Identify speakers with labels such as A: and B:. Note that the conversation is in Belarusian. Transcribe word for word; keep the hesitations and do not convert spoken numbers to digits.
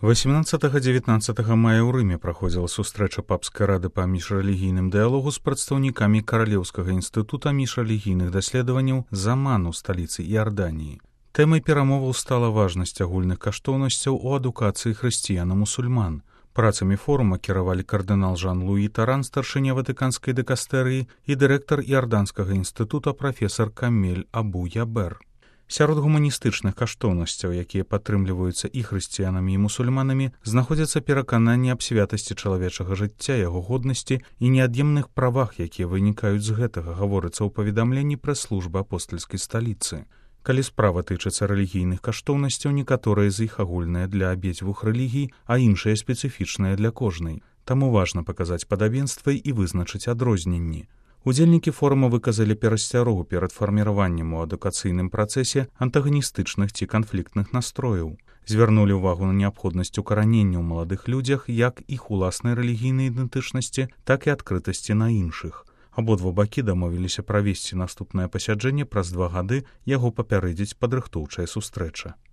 A: восемнадцатага-дзевятнаццатага мая ў Рыме праходзіла сустрэча папскай рады па міжрэлігійным дыялогу з прадстаўнікамі Каралеўскага інстытута міжрэлігійных даследаванняў Заман у сталіцы Іорданіі. Тэмай перамоваў стала важнасць агульных каштоўнасцяў у адукацыі хрысціян і мусульман. Працамі форума кіравалі кардынал Жан-Луі Таран, старшыня ватыканскай дыкастэрыі, і дырэктар Іорданскага інстытута прафесар Камель Абу-Ябер. Сярод гуманістычных каштоўнасцяў, якія падтрымліваюцца і хрысціянамі, і мусульманамі, знаходзяцца перакананні аб святасці чалавечага жыцця, яго годнасці і неад'емных правах, якія вынікаюць з гэтага, гаворыцца ў паведамленні прэс-службы апостальскай сталіцы. Калі справа тычыцца рэлігійных каштоўнасцяў, некаторыя з іх агульныя для абедзвюх рэлігій, а іншыя спецыфічныя для кожнай. Таму важна паказаць падабенствы і вызначыць адрозненні. Удзельнікі форума выказалі перасцярогу перад фарміраваннем у адукацыйным працэсе антаганістычных ці канфліктных настрояў. Звярнулі ўвагу на неабходнасць укаранення ў маладых людзях як іх уласнай рэлігійнай ідэнтычнасці, так і адкрытасці на іншых. Абодва бакі дамовіліся правесці наступнае пасяджэнне праз два гады, яго папярэдзіць падрыхтоўчая сустрэча.